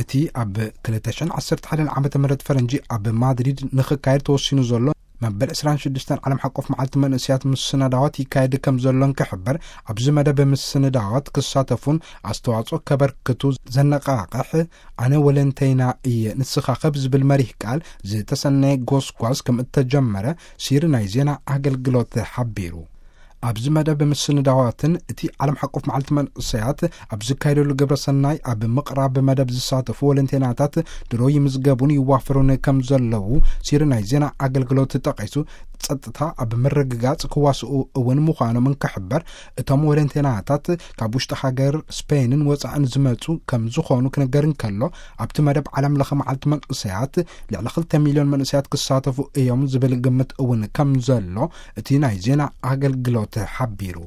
እቲ ኣብ ክልተ ሽሕን ዓሰርተ ሓደን ዓመተ ምህረት ፈረንጂ ኣብ ማድሪድ ንኽካየድ ተወሲኑ ዘሎ መበል ዕስራን ሽዱሽተን ዓለም ሓቆፍ መዓልቲ መንእሰያት ምስናዳዋት ይካየድ ከም ዘሎን ክሕበር፣ ኣብዚ መደብ ምስንዳዋት ክሳተፉን ኣስተዋጽኦ ከበርክቱ ዘነቓቕሕ ኣነ ወለንተይና እየ ንስኻ ከብ ዝብል መሪህ ቃል ዝተሰነየ ጎስጓስ ከም እተጀመረ ሲሪ ናይ ዜና ኣገልግሎት ሓቢሩ። ኣብዚ መደብ ምስንዳዋትን እቲ ዓለም ሓቆፍ መዓልቲ መንእሰያት ኣብ ዝካየደሉ ግብረ ሰናይ ኣብ ምቕራብ መደብ ዝሳተፉ ወለንቴናታት ድሮ ይምዝገቡን ይዋፈሩን ከም ዘለዉ ሲሪ ናይ ዜና ኣገልግሎት ጠቒሱ፣ ጸጥታ ኣብ ምርግጋጽ ክዋስኡ እውን ምዃኖም እንክሕበር፣ እቶም ወለንቴናታት ካብ ውሽጢ ሃገር ስፔንን ወጻእን ዝመጹ ከም ዝኾኑ ክነገር እንከሎ፣ ኣብቲ መደብ ዓለም ለኸ መዓልቲ መንእሰያት ልዕሊ ክልተ ሚልዮን መንእሰያት ክሳተፉ እዮም ዝብል ግምት እውን ከም ዘሎ እቲ ናይ ዜና ኣገልግሎት ሓቢሩ።